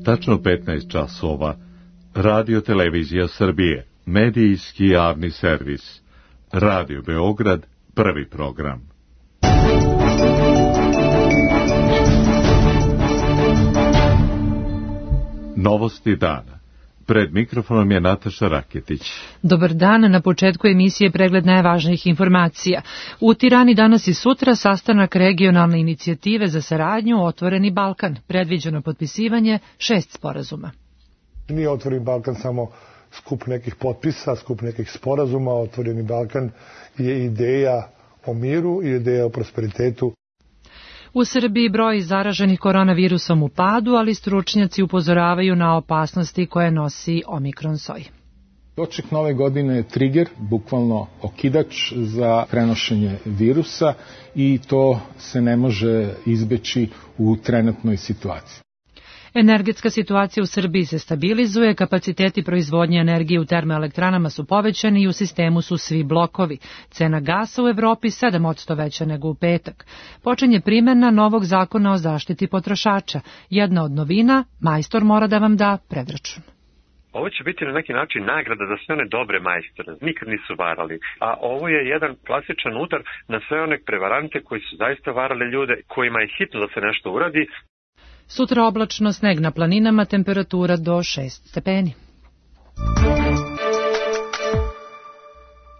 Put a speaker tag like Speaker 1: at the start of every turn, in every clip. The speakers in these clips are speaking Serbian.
Speaker 1: Tačno 15 časova. Radio Televizija Srbije. Medijski javni servis. Radio Beograd. Prvi program. Novosti dana. Pred mikrofonom je Nataša Raketić.
Speaker 2: Dobar dan, na početku emisije pregled najvažnijih informacija. U Tirani danas i sutra sastanak regionalne inicijative za saradnju Otvoreni Balkan. Predviđeno potpisivanje 6 sporazuma.
Speaker 3: Nije Otvoreni Balkan samo skup nekih potpisa, skup nekih sporazuma. Otvoreni Balkan je ideja o miru i ideja o prosperitetu.
Speaker 2: U Srbiji broj zaraženih koronavirusom u padu, ali stručnjaci upozoravaju na opasnosti koje nosi omikron soj.
Speaker 4: Doček nove godine je trigger, bukvalno okidač za prenošenje virusa i to se ne može izbeći u trenutnoj situaciji.
Speaker 2: Energetska situacija u Srbiji se stabilizuje, kapaciteti proizvodnje energije u termoelektranama su povećani i u sistemu su svi blokovi. Cena gasa u Evropi 7% veća nego u petak. Počinje primjena novog zakona o zaštiti potrošača. Jedna od novina, majstor mora da vam da predračun.
Speaker 5: Ovo će biti na neki način nagrada za sve one dobre majstore, nikad nisu varali. A ovo je jedan klasičan udar na sve one prevarante koji su zaista varali ljude, kojima je hitno da se nešto uradi.
Speaker 2: Sutra oblačno, sneg na planinama, temperatura do 6 stepeni.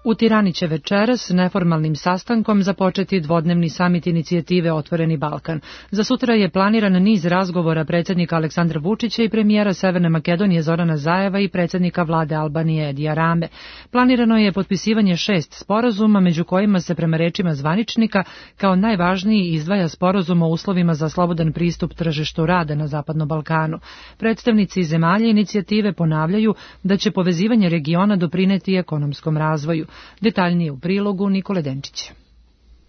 Speaker 2: U Tirani će večeras neformalnim sastankom započeti dvodnevni samit inicijative Otvoreni Balkan. Za sutra je planiran niz razgovora predsjednika Aleksandra Vučića i premijera Severne Makedonije Zorana Zajeva i predsjednika vlade Albanije Edija Rame. Planirano je potpisivanje 6 sporazuma, među kojima se prema rečima zvaničnika kao najvažniji izdvaja sporazum o uslovima za slobodan pristup tržištu rada na Zapadnom Balkanu. Predstavnici zemalja inicijative ponavljaju da će povezivanje regiona doprineti ekonomskom razvoju. Detaljnije u prilogu Nikole Denčića.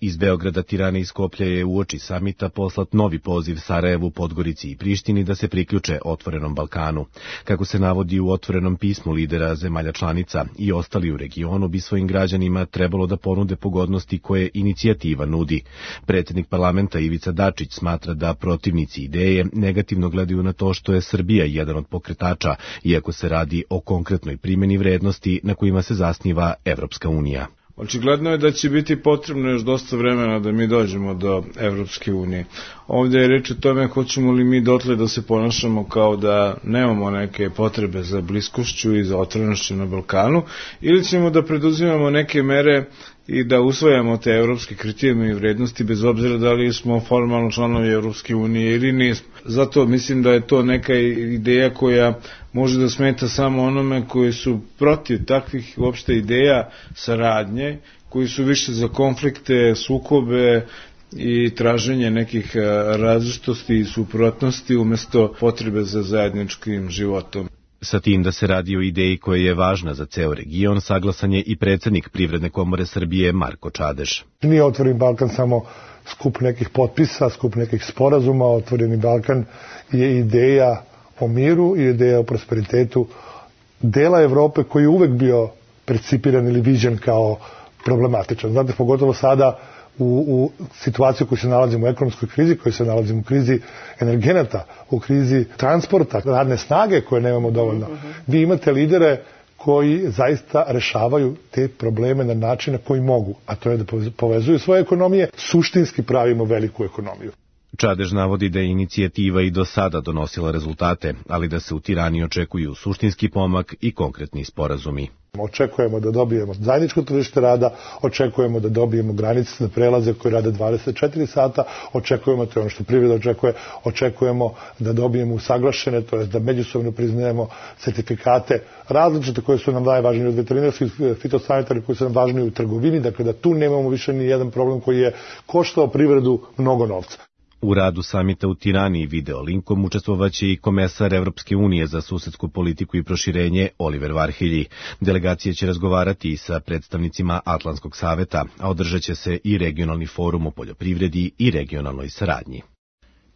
Speaker 6: Iz Beograda, Tirane i Skoplja je uoči samita poslat novi poziv Sarajevu, Podgorici i Prištini da se priključe Otvorenom Balkanu. Kako se navodi u otvorenom pismu lidera zemalja članica, i ostali u regionu bi svojim građanima trebalo da ponude pogodnosti koje inicijativa nudi. Predsjednik parlamenta Ivica Dačić smatra da protivnici ideje negativno gledaju na to što je Srbija jedan od pokretača, iako se radi o konkretnoj primjeni vrednosti na kojima se zasniva Evropska unija.
Speaker 7: Očigledno je da će biti potrebno još dosta vremena da mi dođemo do Evropske unije. Ovdje je reč o tome hoćemo li mi dotle da se ponašamo kao da nemamo neke potrebe za bliskošću i za otvorenošću na Balkanu, ili ćemo da preduzimamo neke mere i da usvajamo te evropske kriterijeme i vrednosti bez obzira da li smo formalno članovi Evropske unije ili nismo. Zato mislim da je to neka ideja koja može da smeta samo onome koji su protiv takvih uopšte ideja saradnje, koji su više za konflikte, sukobe i traženje nekih različitosti i suprotnosti umjesto potrebe za zajedničkim životom.
Speaker 6: Sa tim da se radi o ideji koja je važna za ceo region, saglasan je i predsjednik Privredne komore Srbije Marko Čadež.
Speaker 3: Nije Otvoreni Balkan samo skup nekih potpisa, skup nekih sporazuma. Otvoreni Balkan je ideja o miru i ideja o prosperitetu dela Evrope koji je uvek bio percipiran ili viđen kao problematičan. Znate, pogotovo sada u situaciji u kojoj se nalazimo u ekonomskoj krizi, kojoj se nalazimo u krizi energenata, u krizi transporta, radne snage koje nemamo dovoljno. Vi imate lidere koji zaista rešavaju te probleme na način na koji mogu, a to je da povezuju svoje ekonomije, suštinski pravimo veliku ekonomiju.
Speaker 6: Čadež navodi da je inicijativa i do sada donosila rezultate, ali da se u Tirani očekuju suštinski pomak i konkretni sporazumi.
Speaker 3: Očekujemo da dobijemo zajedničko tržište rada, očekujemo da dobijemo granice za prelaze koji rade 24 sata, očekujemo, to je ono što privreda očekujemo da dobijemo usaglašene, to je da međusobno priznajemo certifikate različite koje su nam najvažnije od veterinarskih, fitosanitarnih koji su nam važniji u trgovini, dakle da tu nemamo više ni jedan problem koji je koštao privredu mnogo novca.
Speaker 6: U radu samita u Tirani video linkom učestvovaće i komesar Evropske unije za susedsku politiku i proširenje Oliver Varhelji. Delegacija će razgovarati i sa predstavnicima Atlantskog saveta, a održat će se i regionalni forum o poljoprivredi i regionalnoj saradnji.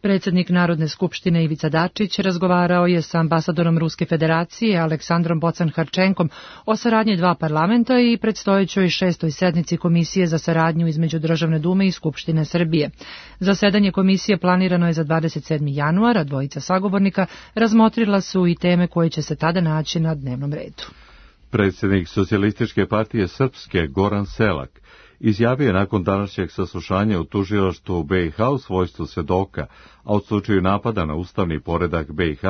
Speaker 2: Predsjednik Narodne skupštine Ivica Dačić razgovarao je sa ambasadorom Ruske federacije Aleksandrom Bocan-Harčenkom o saradnji dva parlamenta i predstojećoj 6. sednici Komisije za saradnju između Državne dume i Skupštine Srbije. Zasedanje komisije planirano je za 27. januara, dvojica sagovornika razmotrila su i teme koje će se tada naći na dnevnom redu.
Speaker 1: Predsjednik Socijalističke partije Srpske Goran Selak izjavio je nakon današnjeg saslušanja u tužilaštvu BiH u svojstvu svedoka, a u slučaju napada na ustavni poredak BiH,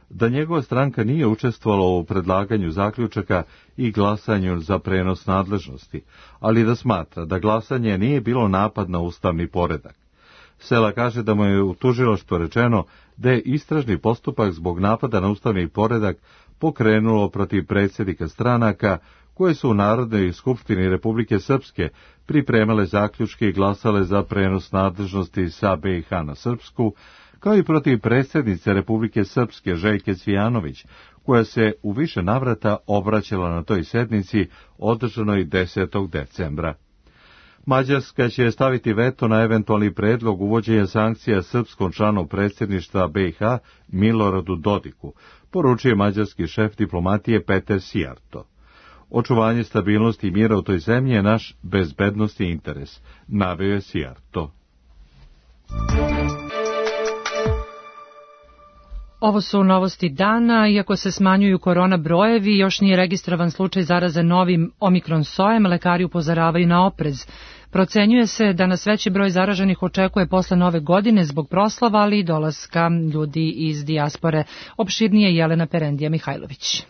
Speaker 1: da njegova stranka nije učestvovala u predlaganju zaključaka i glasanju za prenos nadležnosti, ali da smatra da glasanje nije bilo napad na ustavni poredak. Sela kaže da mu je u tužilaštvu rečeno da je istražni postupak zbog napada na ustavni poredak pokrenulo protiv predsjednika stranaka koje su u Narodnoj skupštini Republike Srpske pripremale zaključke i glasale za prenos nadležnosti sa BiH na Srpsku, kao i protiv predsjednice Republike Srpske Željke Cvijanović, koja se u više navrata obraćala na toj sednici održanoj 10. decembra. Mađarska će staviti veto na eventualni predlog uvođenja sankcija srpskom članu predsjedništva BiH Miloradu Dodiku, poručuje mađarski šef diplomatije Peter Sijarto. Očuvanje stabilnosti i mira u toj zemlji je naš bezbednosni interes, naveo je Sijarto.
Speaker 2: Ovo su novosti dana. Iako se smanjuju korona brojevi, još nije registrovan slučaj zaraze novim omikron sojem, lekari upozoravaju na oprez. Procenjuje se da nas veći broj zaraženih očekuje posle nove godine zbog proslava, ali i dolaska ljudi iz dijaspore. Opširnije Jelena Perendija Mihajlović.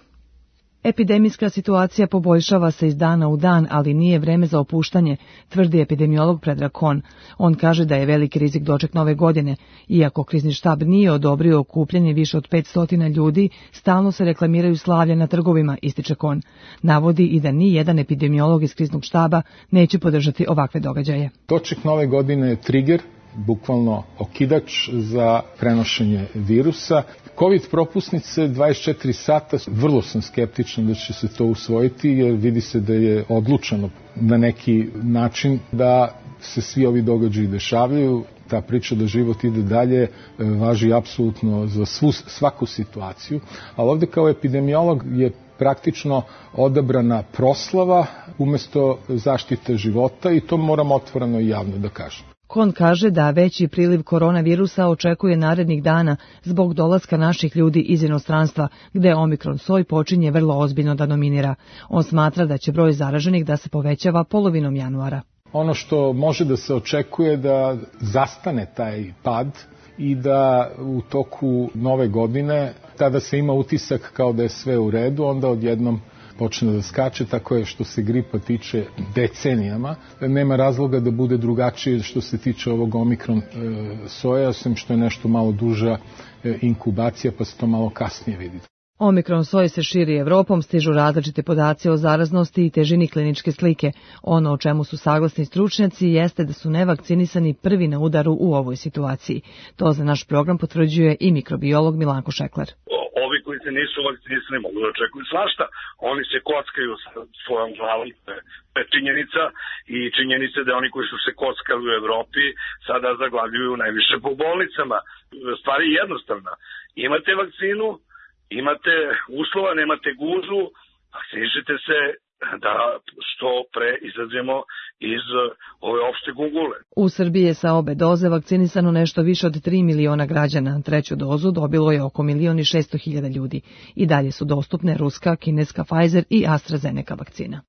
Speaker 8: Epidemijska situacija poboljšava se iz dana u dan, ali nije vreme za opuštanje, tvrdi epidemiolog Predrag Kon. On kaže da je veliki rizik doček nove godine. Iako krizni štab nije odobrio okupljanje više od 500 ljudi, stalno se reklamiraju slavlja na trgovima, ističe Kon. Navodi i da ni jedan epidemiolog iz kriznog štaba neće podržati ovakve događaje.
Speaker 4: Doček nove godine je trigger, bukvalno okidač za prenošenje virusa. COVID propusnice 24 sata, vrlo sam skeptičan da će se to usvojiti, jer vidi se da je odlučeno na neki način da se svi ovi događaji dešavaju. Ta priča da život ide dalje važi apsolutno za svaku situaciju, ali ovde kao epidemiolog je praktično odabrana proslava umesto zaštite života i to moram otvoreno i javno da kažem.
Speaker 8: Kon kaže da veći priliv koronavirusa očekuje narednih dana zbog dolaska naših ljudi iz inostranstva, gde omikron soj počinje vrlo ozbiljno da dominira. On smatra da će broj zaraženih da se povećava polovinom januara.
Speaker 4: Ono što može da se očekuje da zastane taj pad i da u toku nove godine, tada se ima utisak kao da je sve u redu, onda odjednom počne da skače, tako je što se gripa tiče decenijama. Nema razloga da bude drugačije što se tiče ovog omikron soja, osim što je nešto malo duža inkubacija, pa se to malo kasnije vidi.
Speaker 8: Omikron soj se širi Evropom, stižu različite podaci o zaraznosti i težini kliničke slike. Ono o čemu su saglasni stručnjaci jeste da su nevakcinisani prvi na udaru u ovoj situaciji. To za naš program potvrđuje i mikrobiolog Milanko Šekler.
Speaker 9: Ovi koji se nisu vakcinisani mogu da očekuju svašta. Oni se kockaju sa svojom glavom, to je činjenica, i činjenica da oni koji su se kockali u Evropi sada zaglavljuju najviše po bolnicama. Stvar je jednostavna. Imate vakcinu, imate uslova, nemate guzu, vakcinišite se da što pre izađemo iz ove opšte gungule.
Speaker 8: U Srbiji je sa obe doze vakcinisano nešto više od 3 miliona građana. Treću dozu dobilo je oko 1.600.000 ljudi. I dalje su dostupne ruska, kineska Pfizer i AstraZeneca vakcina.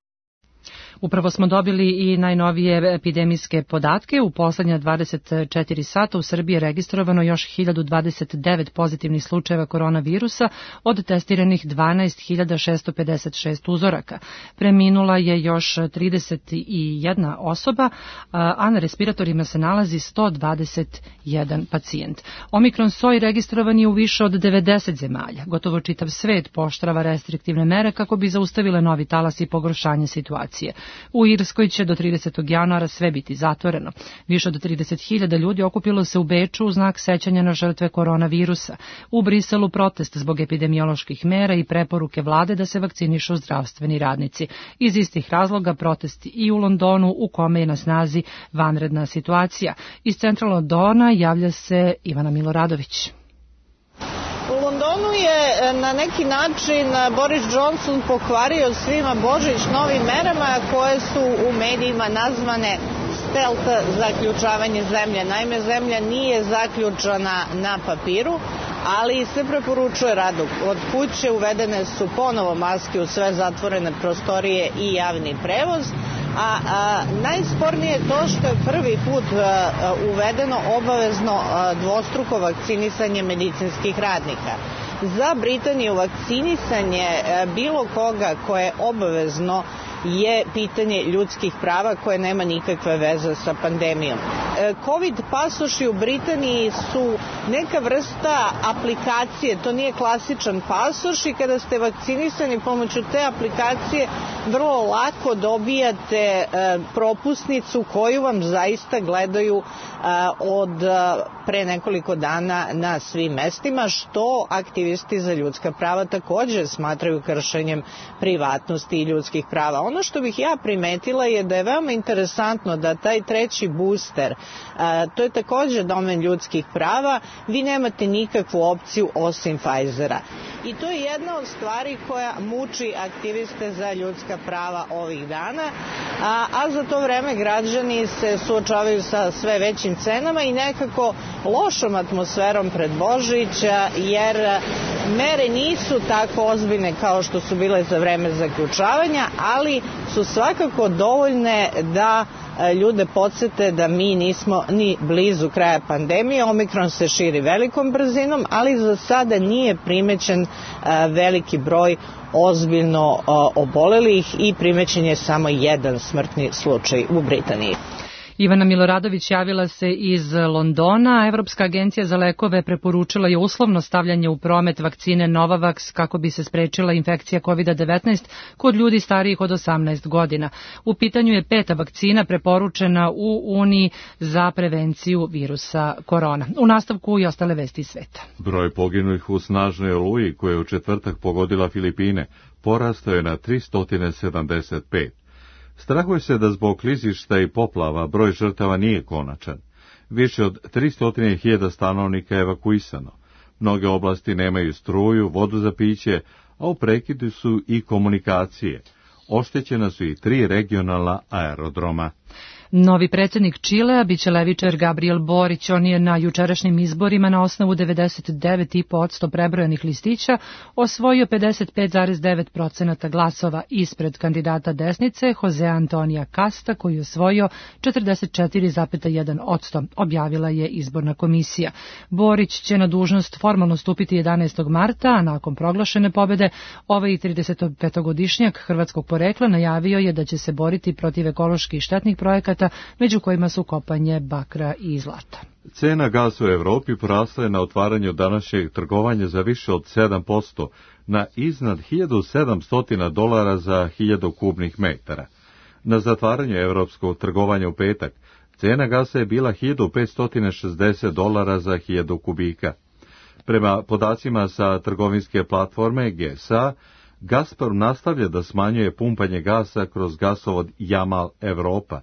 Speaker 2: Upravo smo dobili i najnovije epidemijske podatke. U poslednja 24 sata u Srbiji je registrovano još 1029 pozitivnih slučajeva koronavirusa od testiranih 12.656 uzoraka. Preminula je još 31 osoba, a na respiratorima se nalazi 121 pacijent. Omikron soj registrovan je u više od 90 zemalja. Gotovo čitav svet pooštrava restriktivne mere kako bi zaustavile novi talas i pogoršanje situacije. U Irskoj će do 30. januara sve biti zatvoreno. Više od 30.000 ljudi okupilo se u Beču u znak sećanja na žrtve koronavirusa. U Briselu protest zbog epidemioloških mera i preporuke vlade da se vakcinišu zdravstveni radnici. Iz istih razloga protesti i u Londonu, u kome je na snazi vanredna situacija. Iz centra Londona javlja se Ivana Miloradović.
Speaker 10: U Londonu je na neki način Boris Johnson pokvario svima Božić novim merama koje su u medijima nazvane stealth zaključavanje zemlje. Naime, zemlja nije zaključana na papiru, ali se preporučuje rad od kuće, uvedene su ponovo maske u sve zatvorene prostorije i javni prevoz, a najspornije je to što je prvi put uvedeno obavezno dvostruko vakcinisanje medicinskih radnika. Za Britaniju vakcinisanje bilo koga koje je obavezno je pitanje ljudskih prava koje nema nikakve veze sa pandemijom. Covid pasoši u Britaniji su neka vrsta aplikacije, to nije klasičan pasoš i kada ste vakcinisani pomoću te aplikacije vrlo lako dobijate propusnicu koju vam zaista gledaju od pre nekoliko dana na svim mestima, što aktivisti za ljudska prava takođe smatraju kršenjem privatnosti i ljudskih prava. Ono što bih ja primetila je da je veoma interesantno da taj treći booster, to je takođe domen ljudskih prava, vi nemate nikakvu opciju osim Pfizera. I to je jedna od stvari koja muči aktiviste za ljudska prava ovih dana, a za to vreme građani se suočavaju sa sve većim cenama i nekako lošom atmosferom pred Božić, jer mere nisu tako ozbiljne kao što su bile za vreme zaključavanja, ali su svakako dovoljne da ljude podsete da mi nismo ni blizu kraja pandemije. Omikron se širi velikom brzinom, ali za sada nije primećen veliki broj ozbiljno obolelih i primećen je samo jedan smrtni slučaj u Britaniji.
Speaker 2: Ivana Miloradović javila se iz Londona. Evropska agencija za lekove preporučila je uslovno stavljanje u promet vakcine Novavax kako bi se sprečila infekcija COVID-19 kod ljudi starijih od 18 godina. U pitanju je 5. vakcina preporučena u Uniji za prevenciju virusa korona. U nastavku i ostale vesti iz sveta.
Speaker 1: Broj poginulih u snažnoj oluji koja je u četvrtak pogodila Filipine porastao je na 375. Strahuje se da zbog klizišta i poplava broj žrtava nije konačan. Više od 300.000 stanovnika je evakuisano. Mnoge oblasti nemaju struju, vodu za piće, a u prekidu su i komunikacije. Oštećena su i 3 regionalna aerodroma.
Speaker 2: Novi predsjednik Čilea biće levičar Gabriel Borić. On je na jučerašnjim izborima na osnovu 99,5% prebrojanih listića osvojio 55,9% glasova ispred kandidata desnice Jose Antonija Casta koji je osvojio 44,1%, objavila je izborna komisija. Borić će na dužnost formalno stupiti 11. marta, a nakon proglašene pobede ovaj 35-godišnjak hrvatskog porekla najavio je da će se boriti protiv ekoloških štetnih projekata, među kojima su kopanje bakra i zlata.
Speaker 1: Cena gasa u Evropi porasla je na otvaranju današnjeg trgovanja za više od 7% na iznad $1.700 za 1000 kubnih metara. Na zatvaranju evropskog trgovanja u petak cena gasa je bila $1.560 za 1000 kubika. Prema podacima sa trgovinske platforme GSA, Gazprom nastavlja da smanjuje pumpanje gasa kroz gasovod Jamal Evropa,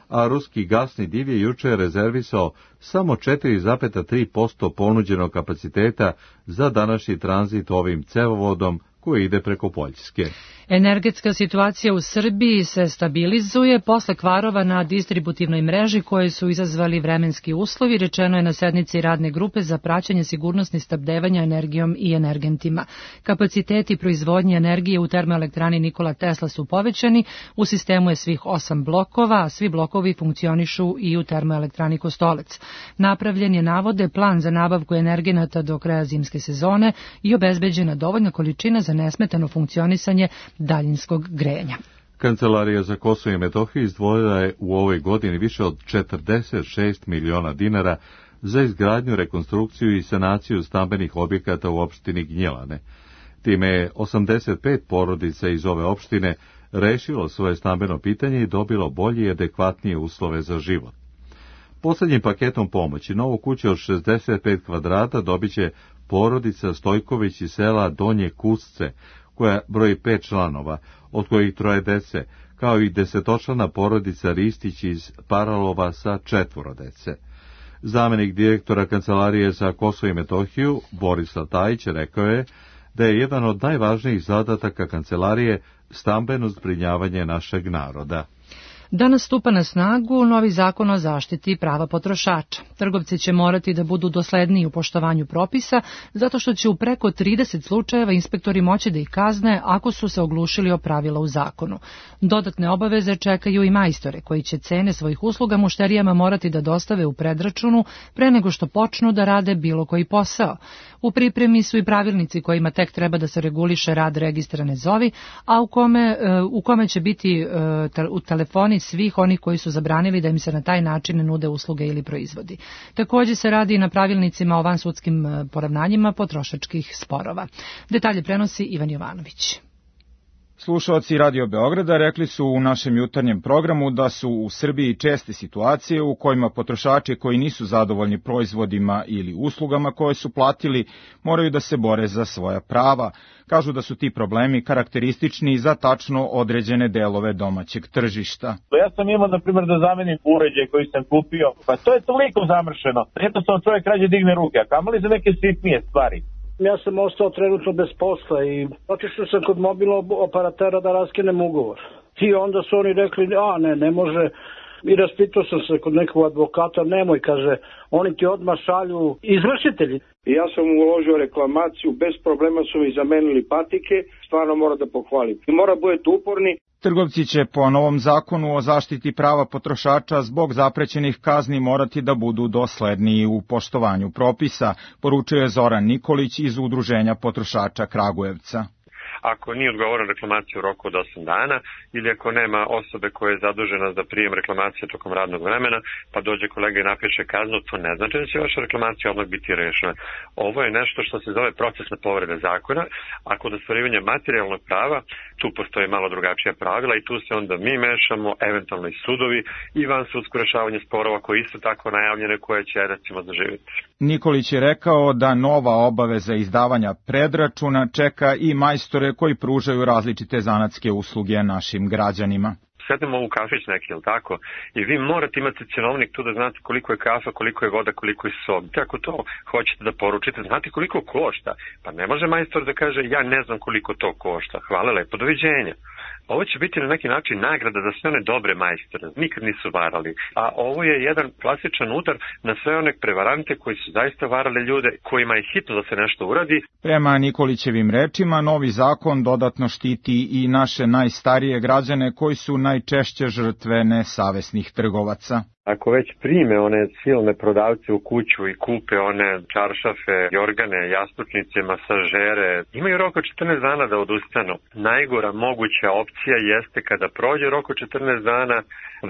Speaker 1: a ruski gasni div je juče rezervisao samo 4,3% ponuđenog kapaciteta za današnji tranzit ovim cevovodom koji ide preko Poljske.
Speaker 2: Energetska situacija u Srbiji se stabilizuje posle kvarova na distributivnoj mreži koje su izazvali vremenski uslovi, rečeno je na sednici radne grupe za praćenje sigurnosnih snabdevanja energijom i energentima. Kapaciteti proizvodnje energije u termoelektrani Nikola Tesla su povećani, u sistemu je svih 8 blokova, a svi blokovi funkcionišu i u termoelektrani Kostolec. Napravljen je, navode, plan za nabavku energenata do kraja zimske sezone i obezbeđena dovoljna količina za nesmetano funkcionisanje daljinskog grejanja.
Speaker 1: Kancelarija za Kosovo i Metohiju izdvojila je u ovoj godini više od 46 miliona dinara za izgradnju, rekonstrukciju i sanaciju stambenih objekata u opštini Gnjilane. Time je 85 porodica iz ove opštine rešilo svoje stambeno pitanje i dobilo bolje i adekvatnije uslove za život. Poslednjim paketom pomoći novu kuću od 65 kvadrata dobit će porodica Stojković iz sela Donje Kusce, koja broji 5 članova, od kojih 3 dece, kao i 10-člana porodica Ristić iz Paralova sa 4 dece. Zamenik direktora Kancelarije za Kosovo i Metohiju, Borislav Tajić, rekao je da je jedan od najvažnijih zadataka Kancelarije stambeno zbrinjavanje našeg naroda.
Speaker 2: Danas stupa na snagu novi zakon o zaštiti prava potrošača. Trgovci će morati da budu dosledniji u poštovanju propisa, zato što će u preko 30 slučajeva inspektori moći da ih kazne ako su se oglušili o pravila u zakonu. Dodatne obaveze čekaju i majstore, koji će cene svojih usluga mušterijama morati da dostave u predračunu pre nego što počnu da rade bilo koji posao. U pripremi su i pravilnici kojima tek treba da se reguliše rad registra Ne zovi, a u kome će biti u telefoni svih onih koji su zabranili da im se na taj način nude usluge ili proizvodi. Također se radi i na pravilnicima o vansudskim poravnanjima potrošačkih sporova. Detalje prenosi Ivan Jovanović.
Speaker 11: Slušalci Radio Beograda rekli su u našem jutarnjem programu da su u Srbiji česte situacije u kojima potrošači koji nisu zadovoljni proizvodima ili uslugama koje su platili moraju da se bore za svoja prava. Kažu da su ti problemi karakteristični za tačno određene delove domaćeg tržišta.
Speaker 12: Ja sam imao, na primjer, da zamenim uređaj koji sam kupio, pa to je toliko zamršeno. Jednostavno čovjek rađe digne ruke, a kamoli za neke sitnije stvari.
Speaker 13: Ja sam ostao trenutno bez posla i otišao sam kod mobilnog operatera da raskinem ugovor. I onda su oni rekli, ne može. I raspitao sam se kod nekog advokata, nemoj, kaže, oni ti odmah šalju izvršitelji.
Speaker 14: I ja sam uložio reklamaciju, bez problema su mi zamenili patike, stvarno mora da pohvalim. I mora budete uporni.
Speaker 11: Trgovci će po novom zakonu o zaštiti prava potrošača zbog zaprećenih kazni morati da budu dosledniji u poštovanju propisa, poručuje Zoran Nikolić iz Udruženja potrošača Kragujevca.
Speaker 5: Ako nije odgovoran reklamaciju u roku od 8 dana ili ako nema osobe koja je zadužena za prijem reklamacije tokom radnog vremena, pa dođe kolega i napiše kaznu, to ne znači da će vaša reklamacija odmah biti rešena. Ovo je nešto što se zove procesna povreda zakona, a kod ostvarivanja materijalnog prava tu postoje malo drugačija pravila i tu se onda mi mešamo, eventualno i sudovi i vansudsko rešavanje sporova koji isto tako najavljene koje će recimo zaživjeti.
Speaker 11: Nikolić je rekao da nova obaveza izdavanja predračuna čeka i majstore koji pružaju različite zanatske usluge našim građanima.
Speaker 5: Sednemo u kafić neki, jel tako? I vi morate imati cenovnik tu da znate koliko je kafa, koliko je voda, koliko je sok. Ako to hoćete da poručite, znate koliko košta. Pa ne može majstor da kaže ja ne znam koliko to košta. Hvala lepo, doviđenja. Ovo će biti na neki način nagrada za sve one dobre majstore, nikad nisu varali. A ovo je jedan klasičan udar na sve one prevarante koji su zaista varali ljude, kojima je hitno da se nešto uradi.
Speaker 11: Prema Nikolićevim rečima, novi zakon dodatno štiti i naše najstarije građane koji su najčešće žrtve nesavesnih trgovaca.
Speaker 5: Ako već prime one silne prodavce u kuću i kupe one čaršafe, jorgane, jastučnice, masažere, imaju rok od 14 dana da odustanu. Najgora moguća opcija jeste kada prođe rok od 14 dana,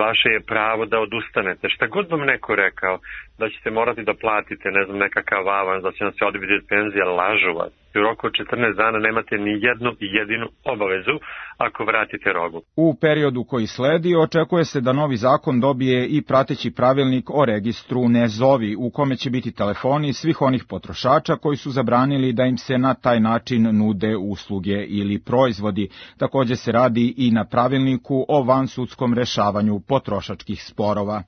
Speaker 5: vaše je pravo da odustanete. Šta god vam neko rekao, da ćete morati da platite, nekakav avans, da će vam se odbiti penzija, lažu vas. U roku od 14 dana nemate ni jednu jedinu obavezu ako vratite robu.
Speaker 11: U periodu koji sledi očekuje se da novi zakon dobije i prateći pravilnik o registru Ne zovi, u kome će biti telefoni svih onih potrošača koji su zabranili da im se na taj način nude usluge ili proizvodi. Također se radi i na pravilniku o vansudskom rešavanju potrošačkih sporova.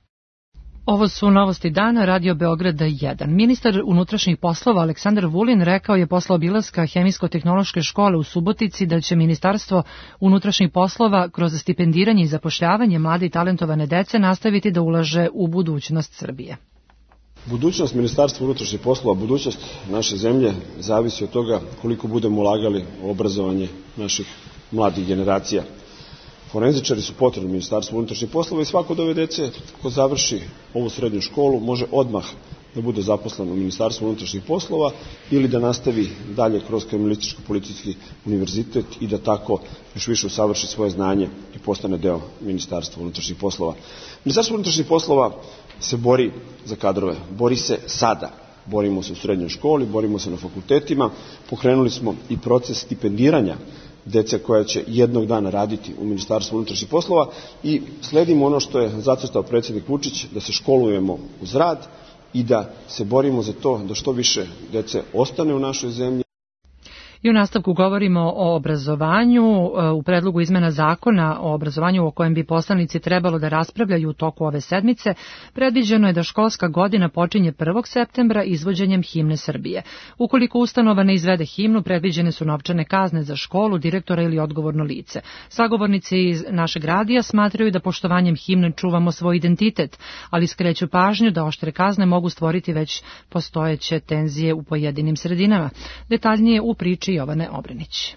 Speaker 2: Ovo su novosti dana Radio Beograda 1. Ministar unutrašnjih poslova Aleksandar Vulin rekao je posle obilaska Hemijsko-tehnološke škole u Subotici da će Ministarstvo unutrašnjih poslova kroz stipendiranje i zapošljavanje mlade i talentovane dece nastaviti da ulaže u budućnost Srbije.
Speaker 15: Budućnost Ministarstva unutrašnjih poslova, budućnost naše zemlje zavisi od toga koliko budemo ulagali u obrazovanje naših mladih generacija. Forenzičari su potrebni Ministarstvu unutrašnjih poslova i svako od ove dece ko završi ovu srednju školu može odmah da bude zaposlen u Ministarstvu unutrašnjih poslova ili da nastavi dalje kroz Kriminalističko-policijski univerzitet i da tako još više usavrši svoje znanje i postane deo Ministarstva unutrašnjih poslova. Ministarstvo unutrašnjih poslova se bori za kadrove, bori se sada. Borimo se u srednjoj školi, borimo se na fakultetima, pokrenuli smo i proces stipendiranja dece koja će jednog dana raditi u Ministarstvu unutrašnjih poslova i sledimo ono što je zacrtao predsjednik Vučić, da se školujemo uz rad i da se borimo za to da što više dece ostane u našoj zemlji.
Speaker 2: I u nastavku govorimo o obrazovanju. U predlogu izmena zakona o obrazovanju o kojem bi poslanici trebalo da raspravljaju u toku ove sedmice, predviđeno je da školska godina počinje 1. septembra izvođenjem himne Srbije. Ukoliko ustanova ne izvede himnu, predviđene su novčane kazne za školu, direktora ili odgovorno lice. Sagovornici iz našeg radija smatraju da poštovanjem himne čuvamo svoj identitet, ali skreću pažnju da oštre kazne mogu stvoriti već postojeće tenzije u pojedinim sredinama. Detaljnije u priči Jovane Obrenić.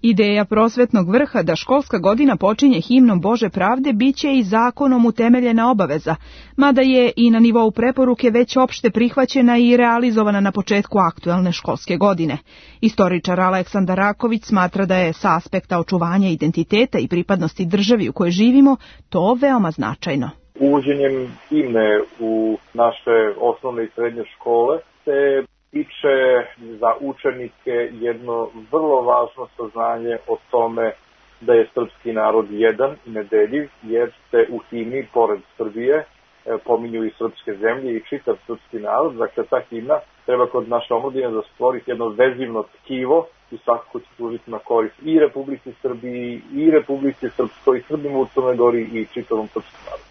Speaker 16: Ideja prosvetnog vrha da školska godina počinje himnom Bože pravde biće i zakonom utemeljena obaveza, mada je i na nivou preporuke već opšte prihvaćena i realizovana na početku aktuelne školske godine. Istoričar Aleksandar Raković smatra da je sa aspekta očuvanja identiteta i pripadnosti državi u kojoj živimo to veoma značajno.
Speaker 17: Uvođenjem himne u naše osnovne i srednje škole se tiče za učenike jedno vrlo važno saznanje o tome da je srpski narod jedan i nedeljiv, jer se u himni, pored Srbije, pominju i srpske zemlje i čitav srpski narod. Dakle, ta himna treba kod naše omladine da stvoriti jedno vezivno tkivo i svakako će služiti na korist i Republici Srbiji, i Republici Srpskoj, i Srbima u Crnoj Gori i čitavom srpskom narodu.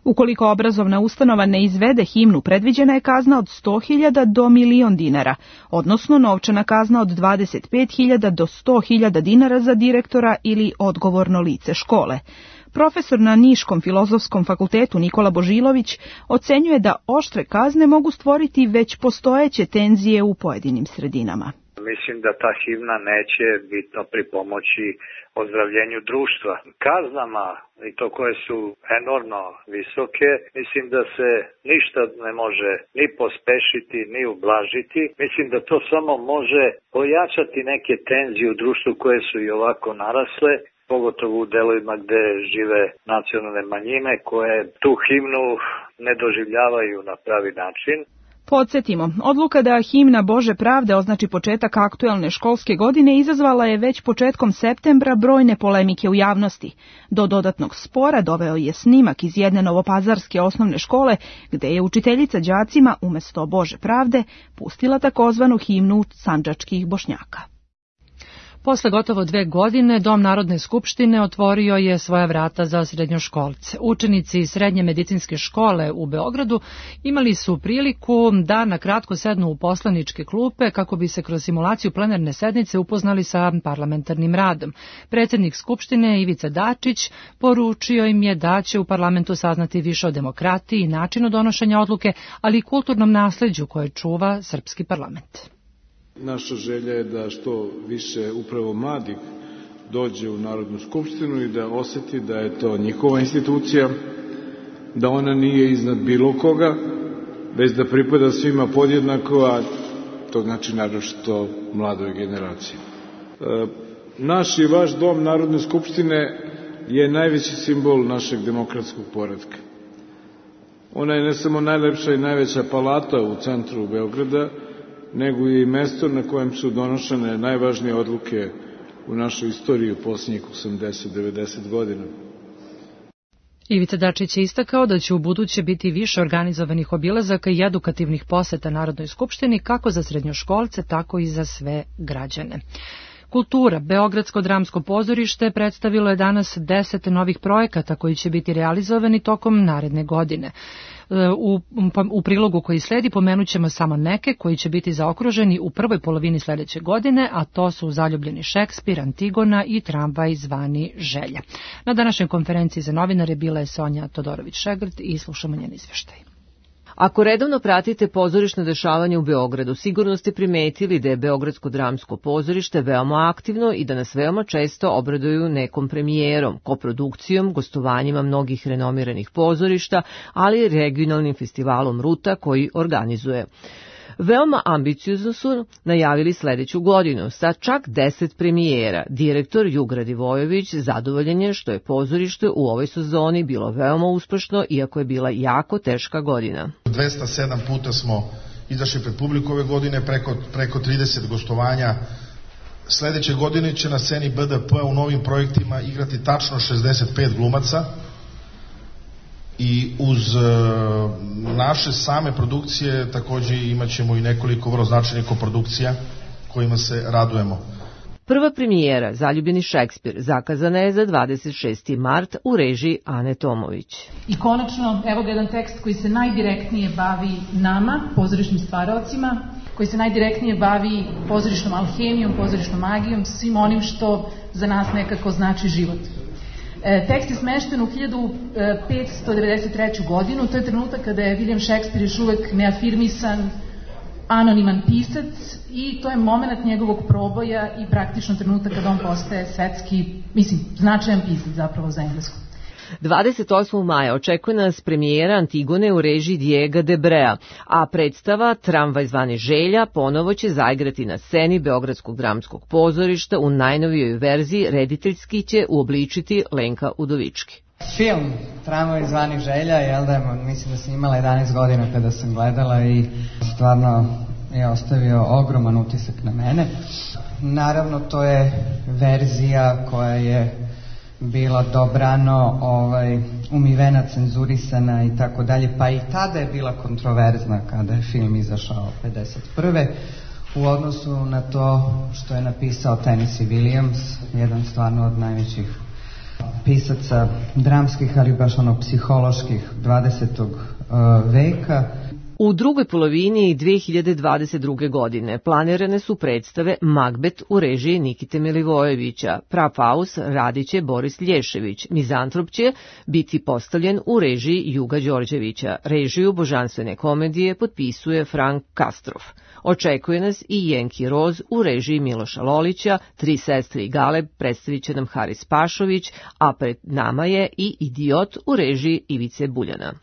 Speaker 16: Ukoliko obrazovna ustanova ne izvede himnu, predviđena je kazna od 100.000 do 1.000.000 dinara, odnosno novčana kazna od 25.000 do 100.000 dinara za direktora ili odgovorno lice škole. Profesor na Niškom filozofskom fakultetu Nikola Božilović ocenjuje da oštre kazne mogu stvoriti već postojeće tenzije u pojedinim sredinama.
Speaker 18: Mislim da ta himna neće bitno pripomoći ozdravljenju društva. Kaznama, i to koje su enormno visoke, mislim da se ništa ne može ni pospešiti, ni ublažiti. Mislim da to samo može pojačati neke tenzije u društvu koje su i ovako narasle, pogotovo u delovima gde žive nacionalne manjine koje tu himnu ne doživljavaju na pravi način.
Speaker 16: Podsjetimo, odluka da himna Bože pravde označi početak aktuelne školske godine izazvala je već početkom septembra brojne polemike u javnosti. Do dodatnog spora doveo je snimak iz jedne novopazarske osnovne škole, gde je učiteljica đacima umesto Bože pravde pustila takozvanu himnu sandžačkih Bošnjaka.
Speaker 2: Posle gotovo 2 godine, Dom Narodne skupštine otvorio je svoja vrata za srednjoškolce. Učenici Srednje medicinske škole u Beogradu imali su priliku da na kratko sednu u poslaničke klupe kako bi se kroz simulaciju plenarne sednice upoznali sa parlamentarnim radom. Predsjednik Skupštine Ivica Dačić poručio im je da će u parlamentu saznati više o demokratiji i načinu donošenja odluke, ali i kulturnom nasleđu koje čuva srpski parlament.
Speaker 7: Naša želja je da što više upravo mladih dođe u Narodnu skupštinu i da oseti da je to njihova institucija, da ona nije iznad bilo koga, već da pripada svima podjednako, a to znači naročito mladoj generaciji. Naš i vaš dom Narodne skupštine je najveći simbol našeg demokratskog poretka. Ona je ne samo najlepša i najveća palata u centru Beograda, nego i mesto na kojem su donošene najvažnije odluke u našoj istoriji u posljednjih 80-90 godina.
Speaker 2: Ivica Dačić je istakao da će u buduće biti više organizovanih obilazaka i edukativnih poseta Narodnoj skupštini kako za srednjoškolce, tako i za sve građane. Kultura. Beogradsko dramsko pozorište predstavilo je danas 10 novih projekata koji će biti realizovani tokom naredne godine. U prilogu koji sledi pomenut ćemo samo neke koji će biti zaokruženi u prvoj polovini sljedeće godine, a to su Zaljubljeni Šekspir, Antigona i Tramvaj zvani Želja. Na današnjoj konferenciji za novinare bila je Sonja Todorović-Šegrt i slušamo njen izveštaj.
Speaker 19: Ako redovno pratite pozorišno dešavanje u Beogradu, sigurno ste primetili da je Beogradsko dramsko pozorište veoma aktivno i da nas veoma često obraduju nekom premijerom, koprodukcijom, gostovanjima mnogih renomiranih pozorišta, ali i regionalnim festivalom Ruta koji organizuje. Veoma ambiciozno su najavili sledeću godinu sa čak 10 premijera. Direktor Jugra Divojević zadovoljan je što je pozorište u ovoj sezoni bilo veoma uspešno, iako je bila jako teška godina.
Speaker 20: 207 puta smo izašli pred publiku ove godine, preko 30 gostovanja Sledeće godine će na sceni BDP u novim projektima igrati tačno 65 glumaca i uz naše same produkcije takođe imat ćemo i nekoliko vrlo značajnih koprodukcija kojima se radujemo.
Speaker 19: Prva premijera Zaljubljeni Šekspir zakazana je za 26. mart u režiji Ane Tomović.
Speaker 21: I konačno, evo ga jedan tekst koji se najdirektnije bavi nama, pozorišnim stvaraocima, koji se najdirektnije bavi pozorišnom alhemijom, pozorišnom magijom, svim onim što za nas nekako znači život. Tekst je smešten u 1593. godinu, to je trenutak kada je William Shakespeare još uvek neafirmisan, anoniman pisac i to je moment njegovog proboja i praktično trenutak kada on postaje svetski, značajan pisac zapravo za englesku.
Speaker 19: 28. maja očekuje nas premijera Antigone u režiji Diego Debrea, a predstava Tramvaj zvani Želja ponovo će zaigrati na sceni Beogradskog dramskog pozorišta u najnovijoj verziji, rediteljski će uobličiti Lenka Udovički.
Speaker 22: Film Tramvaj zvani Želja, mislim da sam imala 11 godina kada sam gledala i stvarno je ostavio ogroman utisak na mene. Naravno, to je verzija koja je bila dobrano umivena, cenzurisana i tako dalje, pa i tada je bila kontroverzna kada je film izašao 51. u odnosu na to što je napisao Tennessee Williams, jedan stvarno od najvećih pisaca dramskih, ali baš psiholoških 20. veka.
Speaker 19: U drugoj polovini 2022. godine planirane su predstave Magbet u režiji Nikite Milivojevića, Prafaus radit će Boris Lješević, Mizantrop će biti postavljen u režiji Juga Đorđevića, režiju božanstvene komedije potpisuje Frank Kastrov. Očekuje nas i Jenki Roz u režiji Miloša Lolića, Tri sestre i Galeb predstavit će nam Haris Pašović, a pred nama je i Idiot u režiji Ivice Buljana.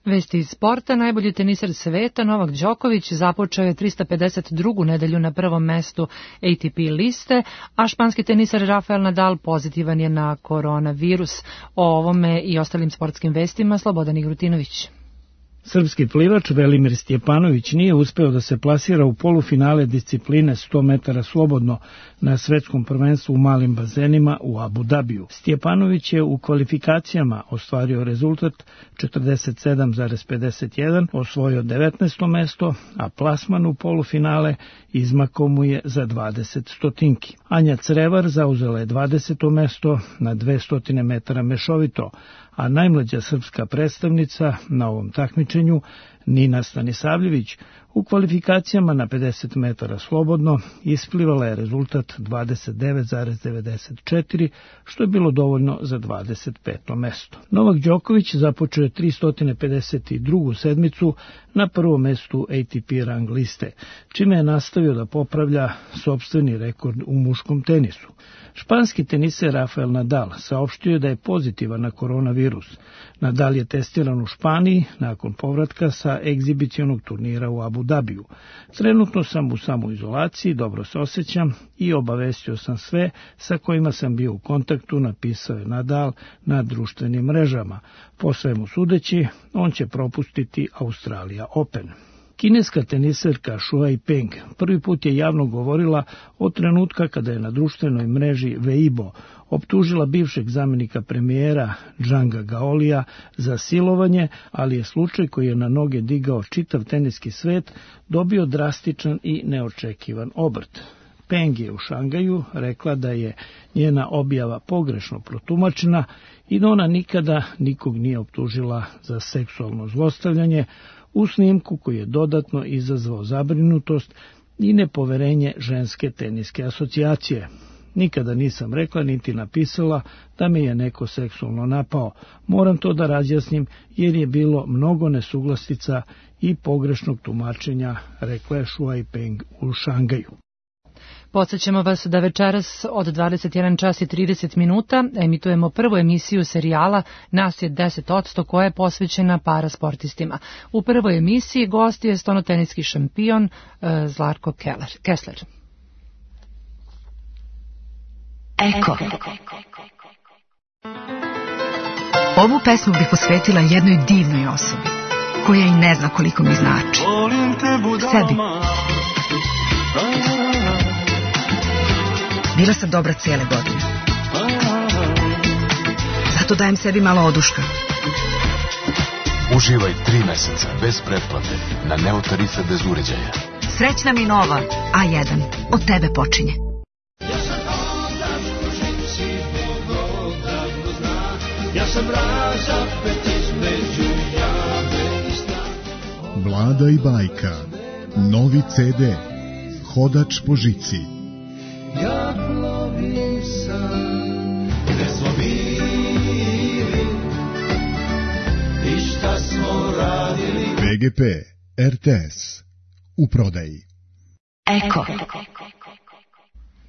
Speaker 2: Vesti iz sporta, najbolji teniser sveta Novak Đoković započeo je 352. nedelju na prvom mestu ATP liste, a španski teniser Rafael Nadal pozitivan je na koronavirus. O ovome i ostalim sportskim vestima Slobodan Igrutinović.
Speaker 23: Srpski plivač Velimir Stjepanović nije uspeo da se plasira u polufinale discipline 100 metara slobodno na svetskom prvenstvu u malim bazenima u Abu Dabiju. Stjepanović je u kvalifikacijama ostvario rezultat 47,51, osvojio 19. mesto, a plasman u polufinale izmakao mu je za 20 stotinki. Anja Crevar zauzela je 20. mesto na 200 metara mešovito, a najmlađa srpska predstavnica na ovom takmičenju, Nina Stanisavljević, u kvalifikacijama na 50 metara slobodno isplivala je rezultat 29,94, što je bilo dovoljno za 25. mesto. Novak Đoković započeo je 352. sedmicu na prvom mestu ATP rang liste, čime je nastavio da popravlja sopstveni rekord u muškom tenisu. Španski teniser Rafael Nadal saopštio je da je pozitivan na koronavirus. Nadal je testiran u Španiji nakon povratka sa egzibicionog turnira u Abu Dabiju. Trenutno sam u samoizolaciji, dobro se osjećam i obavestio sam sve sa kojima sam bio u kontaktu, napisao je Nadal na društvenim mrežama. Po svemu sudeći, on će propustiti Australija Open. Kineska teniserka Shuai Peng prvi put je javno govorila od trenutka kada je na društvenoj mreži Weibo optužila bivšeg zamenika premijera Zhanga Gaolija za silovanje, ali je slučaj koji je na noge digao čitav teniski svet dobio drastičan i neočekivan obrt. Peng je u Šangaju rekla da je njena objava pogrešno protumačena i da ona nikada nikog nije optužila za seksualno zlostavljanje, u snimku koji je dodatno izazvao zabrinutost i nepoverenje ženske teniske asocijacije. Nikada nisam rekla niti napisala da me je neko seksualno napao. Moram to da razjasnim jer je bilo mnogo nesuglastica i pogrešnog tumačenja, rekla je Shuai Peng u Šangaju.
Speaker 2: Podsećamo vas da večeras od 21 čas i 30 minuta emitujemo prvu emisiju serijala Nas je 10% koja je posvećena parasportistima. U prvoj emisiji gost je stonoteniski šampion Zlatko Kessler.
Speaker 24: Eko. Ovu pesmu bih posvetila jednoj divnoj osobi, koja i ne zna koliko mi znači. Sebi. Bila sam dobra cijele godine. Zato dajem sebi malo oduška.
Speaker 3: Uživaj 3 meseca bez pretplate na Neo tarife bez uređaja.
Speaker 24: Srećna mi nova A1. Od tebe počinje.
Speaker 4: Vlada i bajka. Novi CD. Hodač po žici.
Speaker 6: Ja plovim sam, gde smo bili i šta smo radili.
Speaker 4: BGP RTS u prodaji.
Speaker 24: Eko.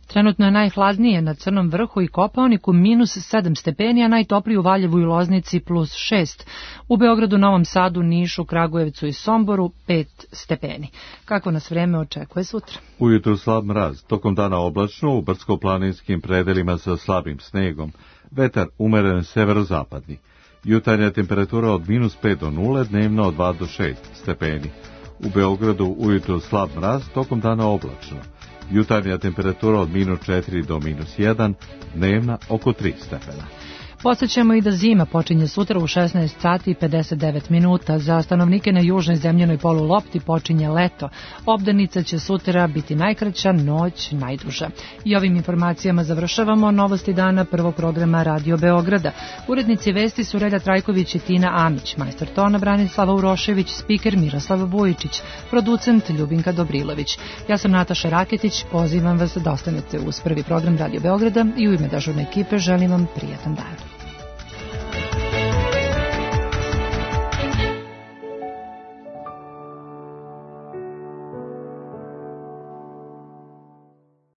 Speaker 2: Trenutno je najhladnije na Crnom vrhu i Kopaoniku -7 stepeni, a najtopliji u Valjevu i Loznici +6. U Beogradu, Novom Sadu, Nišu, Kragujevcu i Somboru 5 stepeni. Kako nas vreme očekuje sutra?
Speaker 1: Ujutru slab mraz, tokom dana oblačno, u brdsko-planinskim predelima sa slabim snegom, vetar umeren severozapadni. Jutarnja temperatura od -5 do 0, dnevno od 2 do 6 stepeni. U Beogradu ujutru slab mraz, tokom dana oblačno. Jutarnja temperatura od -4 do -1, dnevna oko 3 stepena.
Speaker 2: Podsećamo i da zima počinje sutra u 16 sati i 59 minuta. Za stanovnike na južnoj zemljenoj polulopti počinje leto. Obdanica će sutra biti najkraća, noć najduža. I ovim informacijama završavamo novosti dana prvog programa Radio Beograda. Urednici vesti su Relja Trajković i Tina Amić, majstor tona Branislava Urošević, spiker Miroslav Vujičić, producent Ljubinka Dobrilović. Ja sam Nataša Raketić, pozivam vas da ostanete uz prvi program Radio Beograda i u ime dežurne ekipe želim vam prijatan dan.